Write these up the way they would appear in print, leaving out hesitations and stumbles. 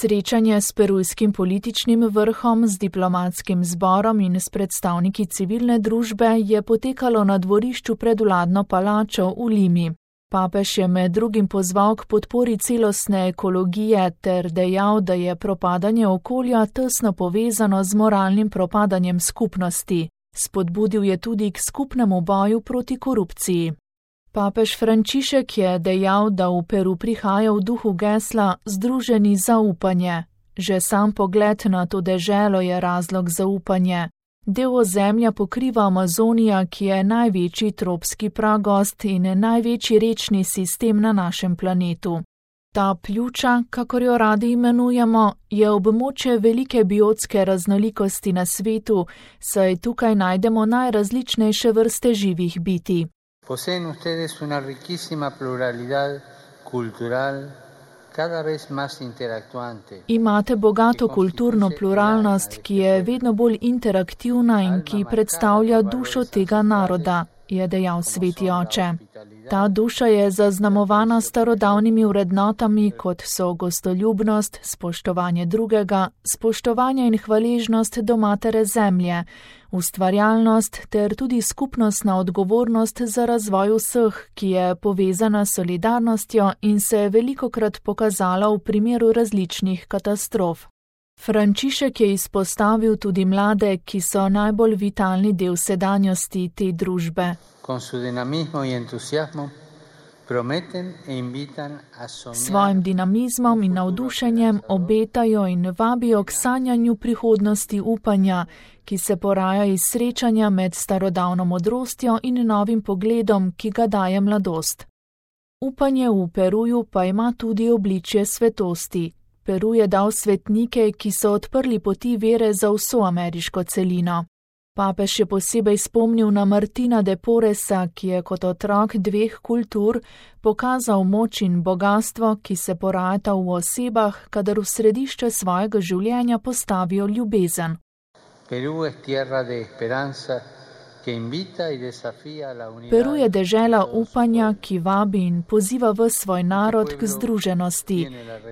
Srečanje s perujskim političnim vrhom, z diplomatskim zborom in s predstavniki civilne družbe je potekalo na dvorišču pred vladno palačo v Limi. Papež je med drugim pozval k podpori celostne ekologije ter dejal, da je propadanje okolja tesno povezano z moralnim propadanjem skupnosti. Spodbudil je tudi k skupnemu boju proti korupciji. Papež Frančišek je dejal, da v Peru prihaja v duhu gesla Združeni za upanje. Že sam pogled na to deželo je razlog za upanje. Del ozemlja pokriva Amazonija, ki je največji tropski pragost in največji rečni sistem na našem planetu. Ta pljuča, kakor jo radi imenujemo, je območje velike biotske raznolikosti na svetu, saj tukaj najdemo najrazličnejše vrste živih bitij. Poseen ustedes una riquísima pluralidad cultural cada vez más interactuante. Imate bogato kulturno pluralnost, ki je vedno bolj interaktivna in ki predstavlja dušo tega naroda, je dejal sveti oče. Ta duša je zaznamovana starodavnimi vrednotami, kot so gostoljubnost, spoštovanje drugega, spoštovanje in hvaležnost do matere zemlje, ustvarjalnost ter tudi skupnostna odgovornost za razvoj vseh, ki je povezana s solidarnostjo in se je velikokrat pokazala v primeru različnih katastrof. Frančišek je izpostavil tudi mlade, ki so najbolj vitalni del sedanjosti te družbe. S svojim dinamizmom in navdušenjem obetajo in vabijo k sanjanju prihodnosti upanja, ki se poraja iz srečanja med starodavno modrostjo in novim pogledom, ki ga daje mladost. Upanje v Peruju pa ima tudi obličje svetosti. Peru je dal svetnike, ki so odprli poti vere za vso ameriško celino. Papež je posebej spomnil na Martina de Porresa, ki je kot otrok dveh kultur pokazal moč in bogastvo, ki se porajata v osebah, kadar v središče svojega življenja postavijo ljubezen. Peru je dežela upanja, ki vabi in poziva v svoj narod k združenosti.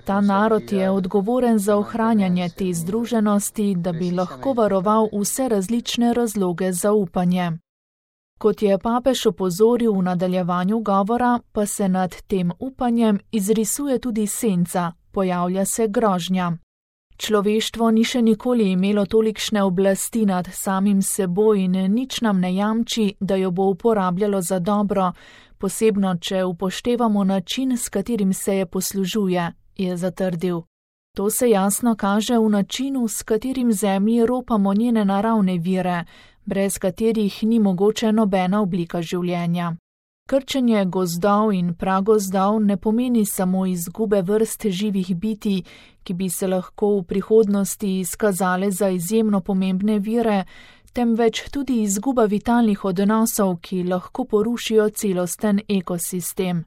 Ta narod je odgovoren za ohranjanje te združenosti, da bi lahko varoval vse različne razloge za upanje. Kot je papež opozoril v nadaljevanju govora, pa se nad tem upanjem izrisuje tudi senca, pojavlja se grožnja. Človeštvo ni še nikoli imelo tolikšne oblasti nad samim seboj in nič nam ne jamči, da jo bo uporabljalo za dobro, posebno če upoštevamo način, s katerim se je poslužuje, je zatrdil. To se jasno kaže v načinu, s katerim zemlji ropamo njene naravne vire, brez katerih ni mogoče nobena oblika življenja. Krčenje gozdov in pragozdov ne pomeni samo izgube vrst živih bitij, ki bi se lahko v prihodnosti izkazale za izjemno pomembne vire, temveč tudi izguba vitalnih odnosov, ki lahko porušijo celosten ekosistem.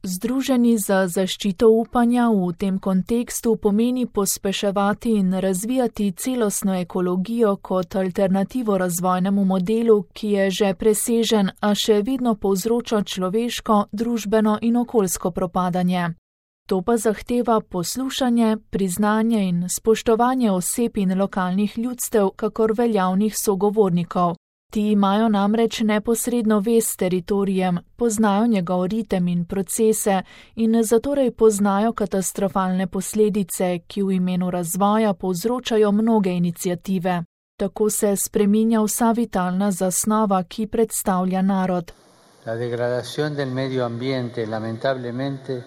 Združeni za zaščito upanja v tem kontekstu pomeni pospeševati in razvijati celostno ekologijo kot alternativo razvojnemu modelu, ki je že presežen, a še vedno povzroča človeško, družbeno in okoljsko propadanje. To pa zahteva poslušanje, priznanje in spoštovanje oseb in lokalnih ljudstev, kakor veljavnih sogovornikov. Ti imajo namreč neposredno vez s teritorijem, poznajo njegov ritem in procese in zatorej poznajo katastrofalne posledice, ki v imenu razvoja povzročajo mnoge iniciative. Tako se spreminja vsa vitalna zasnova, ki predstavlja narod. La degradación del medio ambiente, lamentablemente,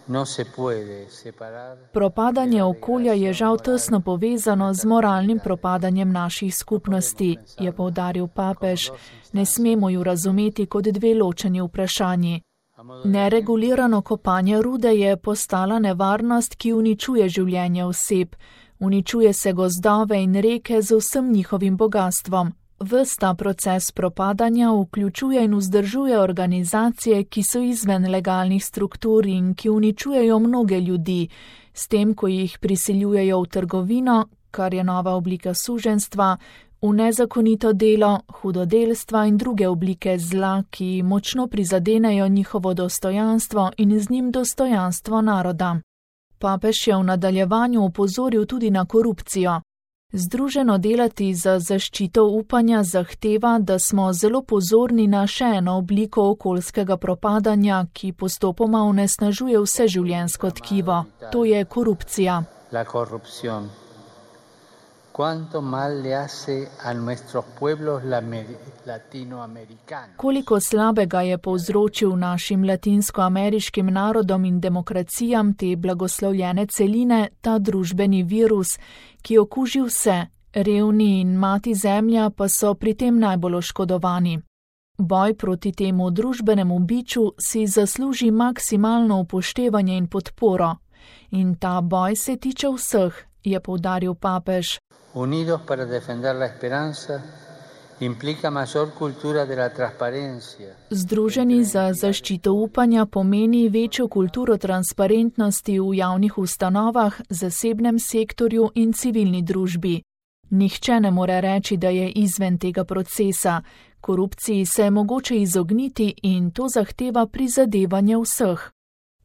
no se puede separar. Propadanje okolja je žal tesno povezano z moralnim propadanjem naših skupnosti, je poudaril papež. Ne smemo ju razumeti kot dve ločeni vprašanji. Neregulirano kopanje rude je postala nevarnost, ki uničuje življenje oseb. Uničuje se gozdove in reke z vsem njihovim bogastvom. Ves ta proces propadanja vključuje in vzdržuje organizacije, ki so izven legalnih struktur in ki uničujejo mnoge ljudi, s tem, ko jih prisiljujejo v trgovino, kar je nova oblika suženjstva, v nezakonito delo, hudodelstva in druge oblike zla, ki močno prizadenejo njihovo dostojanstvo in z njim dostojanstvo naroda. Papež je v nadaljevanju opozoril tudi na korupcijo. Združeno delati za zaščito upanja zahteva, da smo zelo pozorni na še eno obliko okoljskega propadanja, ki postopoma onesnažuje vse življenjsko tkivo. To je korupcija. La corrupción. ¿Cuánto mal le hace a nuestros pueblos latinoamericanos? Koliko slabega je povzročil našim latinskoameriškim narodom in demokracijam te blagoslovljene celine ta družbeni virus, ki okuži vse, revni in mati zemlja pa so pri tem najbolj oškodovani. Boj proti temu družbenemu biču si zasluži maksimalno upoštevanje in podporo. In ta boj se tiče vseh, je poudaril papež. Unidos para defender la esperanza implica mayor cultura de la transparencia. Združeni za zaščito upanja pomeni večjo kulturo transparentnosti v javnih ustanovah, zasebnem sektorju in civilni družbi. Nihče ne more reči, da je izven tega procesa. Korupciji se je mogoče izogniti in to zahteva prizadevanje vseh.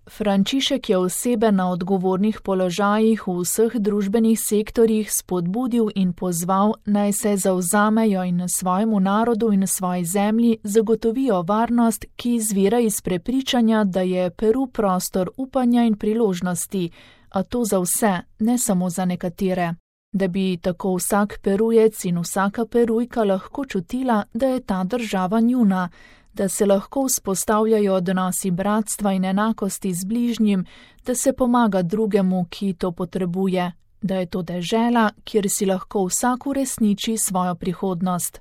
Frančišek je osebe na odgovornih položajih v vseh družbenih sektorjih spodbudil in pozval, naj se zavzamejo in svojemu narodu in svoji zemlji zagotovijo varnost, ki izvira iz prepričanja, da je Peru prostor upanja in priložnosti, a to za vse, ne samo za nekatere. Da bi tako vsak Perujec in vsaka Perujka lahko čutila, da je ta država njuna, da se lahko vzpostavljajo odnosi bratstva in enakosti z bližnjim, da se pomaga drugemu, ki to potrebuje, da je to dežela, kjer si lahko vsak uresniči svojo prihodnost.